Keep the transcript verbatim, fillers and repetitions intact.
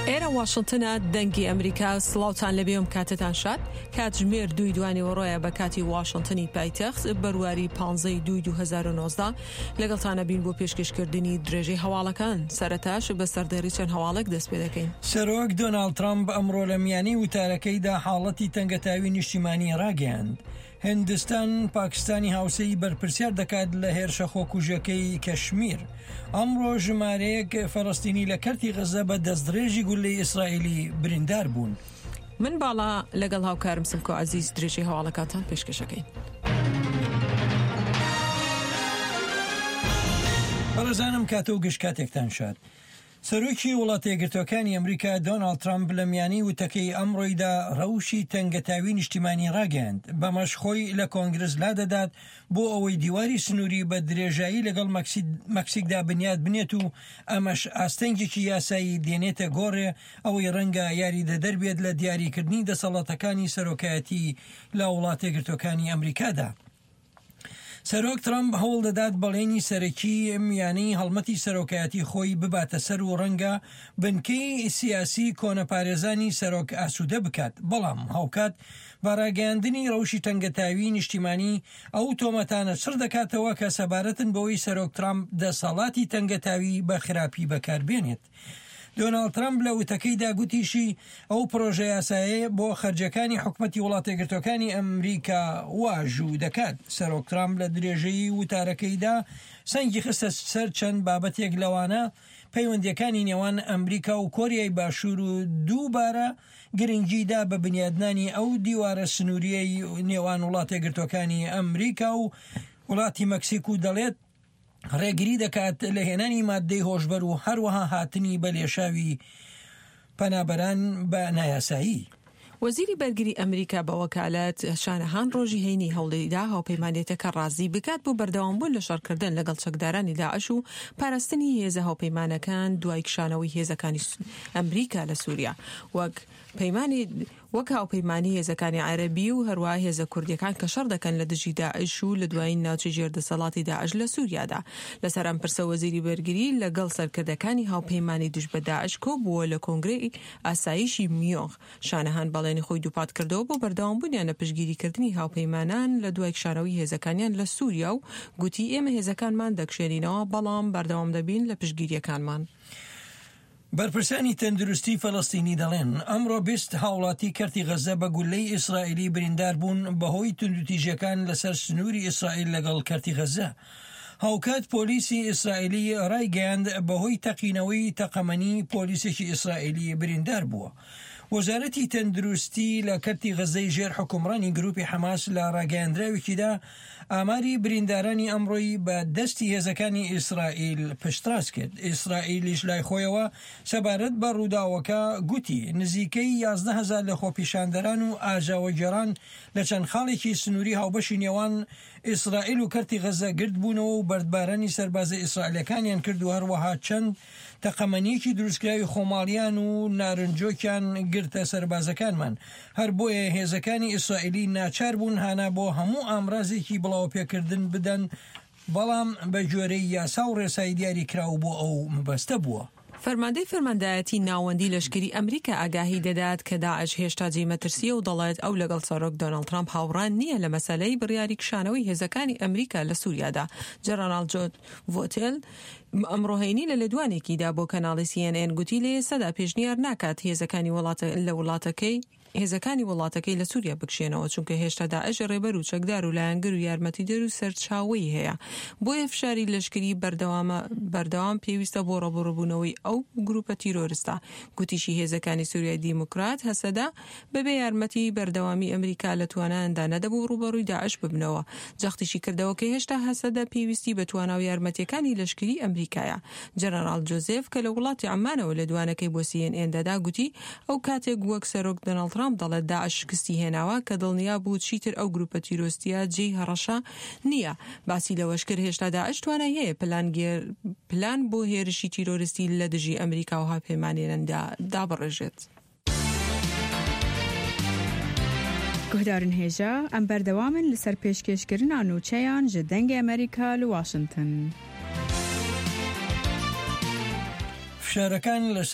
ئێرە واشنتنە، دەنگی ئەمریکا. سڵاوتان لەبێ ئەم کاتەتان شاد. کاتژمێر دووی دوانیوەڕۆیە بە کاتی واشنتنی پایتەخت، بەرواری پانزەی دووی دوو هەزار و نۆزدە. لەگەڵتانە بین بۆ پێشکەشکردنی درێژەی هەواڵەکان. سەرەتاش بە سەردێڕی چەند هەواڵێک دەست پێ دەکەین. سەرۆک دۆناڵد ترەمپ ئەمڕۆ لە میانەی وتارەکەیدا حاڵەتی تەنگەتاوی نیشتیمانی ڕاگەیاند. هندستان پاکستانی هاوسێی بەرپرسیار دەکات لە هێرشە خۆکوژەکەی کەشمیر. ئەمڕۆ ژمارەیەک فەلەستینی لە کەرتی غەزە بە دەستدرێژی گولەی ئیسرائیلی بریندار بوون. من باڵا لەگەڵ هاوکارم سمکۆ عەزیز درێژەی هەواڵەکانتان پێشکەشەکەین. بەڕێزانم کاتە و گشت کاتێکتان شاد. سەرۆکی وڵاتە یەکگرتووەکانی ئەمریکا دۆناڵد ترەمپ لە میانەی وتەکەی ئەمڕۆیدا ڕەوشی تەنگەتاوی نیشتیمانی ڕاگەیاند، بەمەش خۆی لە کۆنگرس لادەدات بۆ ئەوەی دیواری سنووری بە درێژایی لەگەڵ مەکسیکدا بنیات بنێت و ئەمەش ئاستەنگێکی یاسایی دێنێتە گۆڕێ، ئەوەی ڕەنگە یاریدەدەر بێت لە دیاریکردنی دەسەڵاتەکانی سەرۆکایەتی لە وڵاتە یەکگرتووەکانی ئەمریکادا. سەرۆک ترەمپ هەوڵ دەدات بەڵێنی سەرەکی میانەی هەڵمەتی سەرۆکایەتی خۆی بباتە سەر و ڕەنگە بنکەی سیاسی کۆنەپارێزانی سەرۆک ئاسوودە بکات، بەڵام هاوکات بە ڕاگەیاندنی ڕەوشی تەنگەتاوی نیشتیمانی ئەو تۆمەتانە چڕ دەکاتەوە کە سەبارەتن بەوەی سەرۆک ترەمپ دەسەڵاتی تەنگەتاوی بە خراپی بەکاربێنێت. دۆناڵد ترەمپ لە وتەکەیدا گوتیشی ئەو پرۆژە یاسایە بۆ خەرجەکانی حکومەتی وڵاتە یەکگرتووەکانی ئەمریکا واژوو دەکات. سەرۆک ترەمپ لە درێژەی وتارەکەیدا سەنگی خستە سەر چەند بابەتێک لەوانە پەیوەندیەکانی نێوان ئەمریکا و کۆریای باشوور و دووبارە گرنگیدا بە بنیادنانی ئەو دیوارە سنووریەی نێوان وڵاتە یەکگرتووەکانی ئەمریکا و وڵاتی مەکسیک و دەڵێت ڕێگری دەکات لە هێنانی مادەی هۆشبەر و هەروەها هاتنی بە لێشاوی پەنابەران بە نایاسایی. وەزیری بەرگری ئەمریکا بە وەکالەت شانەهان ڕۆژی هەینی هەوڵیدا هاوپەیمانێتەکە ڕازی بکات بۆ بەردەوامبوون لە شەڕکردن لەگەڵ چەکدارانی داعش و پاراستنی هێزە هاوپەیمانەکان دوای کشانەوەی هێزەکانی ئەمریکا لە سووریا وەک پەیمانی وەک هاوپەیمانی هێزەکانی عەرەبی و هەروەها هێزە کوردیەکان کە شەڕ دەکەن لە دژی داعش و لە دوایین ناوچەی ژێردەسەڵاتی داعش لە سووریادا. لەسەر ئەم پرسە وەزیری بەرگری لەگەڵ سەرکردەکانی هاوپەیمانی دژ بە داعش کۆبووە لە کۆنگرەی ئاسایشی میۆنخ. شانەهان بەڵێنی خۆی دووپات کردەوە بۆ بەردەوامبوونیان لە پشتگیریکردنی هاوپەیمانان لە دوای کشانەوەی هێزەکانیان لە سووریا و گوتی ئێمە هێزەکانمان دەکشێنینەوە بەڵام بەردەوام دەبین لە پشتگیریەکانمان. بەرپرسانی تەندروستی فەلەستینی دەڵێن ئەمڕۆ بیست هاوڵاتی کەرتی غەزە بە گولەی ئیسرائیلی بریندار بوون بەهۆی توندوتیژیەکان لەسەر سنووری ئیسرائیل لەگەڵ کەرتی غەزە. هاوکات پۆلیسی ئیسرائیلی ڕایگەیاند بەهۆی تەقینەوەی تەقەمەنی پۆلیسێکی ئیسرائیلی بریندار بووە. وەزارەتی تەندروستی لە کەرتی غەزەی ژێر حکومڕانی گروپی حەماس لە ڕاگەیاندراوێکیدا ئاماری بریندارانی ئەمڕۆی بە دەستی هێزەکانی ئیسرائیل پشتڕاست کرد. ئیسرائیلیش لای خۆیەوە سەبارەت بە ڕووداوەکە گوتی نزیکەی یازدە هەزار لە خۆپیشاندەران و ئاژاوەگێڕان لە چەند خاڵێکی سنووری هاوبەشی نێوان ئیسرائیل و کەرتی غەزە گردبوونەوە و بەردبارانی سەربازە ئیسرائیلەکانیان کرد و هەروەها چەند تەقەمەنیەکی دروستکراوی خۆماڵیان و نارنجۆکیان گرتە سەربازەکانمان. هەر بۆیە هێزەکانی ئیسرائیلی ناچار بوون هانا بۆ هەموو ئامرازێکی بڵاوپێکردن بدەن، بەڵام بە گوێرەی یاسا و ڕێسای دیاریکراو بۆ ئەو مەبەستە بووە. فەرماندەی فەرماندایەتی ناوەندی لەشکری ئەمریکا ئاگاهی دەدات کە داعش هێشتا جێی مەترسیە و دەڵێت ئەو لەگەڵ سەرۆک دۆناڵد ترامپ هاوڕان نییە لە مەسەلەی بڕیاری کشانەوەی هێزەکانی ئەمریکا لە سووریادا. جەنەراڵ جۆن ڤۆتێل ئەمڕۆ هەینی لە لێدوانێکیدا بۆ کەناڵی سی ئێن ئێن گوتی لە ئێستادا پێشنیار ناکات هێزەکانی وڵاتە لە وڵاتەکەی هێزەکانی وڵاتەکەی لە سووریا بکشێنەوە، چونکە هێشتا داعش ڕێبەر و چەکدار و لایەنگر و یارمەتیدەر و سەرچاوەی هەیە. بۆیە فشاری لەشکری بەردەوامە بەردەوام پێویستە بۆ ڕووبەڕووبوونەوەی ئەو گروپە تیرۆرستە. گوتیشی هێزەکانی سووریای دیموکرات هەسەدە بەبێ یارمەتی بەردەوامی ئەمریکا لە توانایاندا نەدەبوو ڕووبەڕووی داعش ببنەوە. جەختیشی کردەوە کە هێشتا هەسەدە پێویستی بە توانا و یارمەتیەکانی لەشکری ئەمریکایە. جەنەراڵ جۆزێف کە لە وڵاتی عەمانەوە لێدوانەکەی بۆ سی ئێن ئێن دەدا گوتی ئەو کاتێک وەک سەرۆک دۆناڵد ترامپ دەڵێت داعش شکستی هێناوە کە دڵنیا بوو چیتر ئەو گروپە تیرۆستیە جێی هەڕەشە نییە. باسی لەوەش کرد هێشتا داعش توانای هەیە پلان بۆ هێرشی تیرۆریستی لە دژی ئەمریکا و هاوپەیمانیاندا دابڕێژێت. گوهدارن هێژا ئەم بەردەوامن لەسەر پێشکێشکردنا نوچەیان ji دەنگی ئەمریکا لە واشنگتن. فشارەکان لەسەر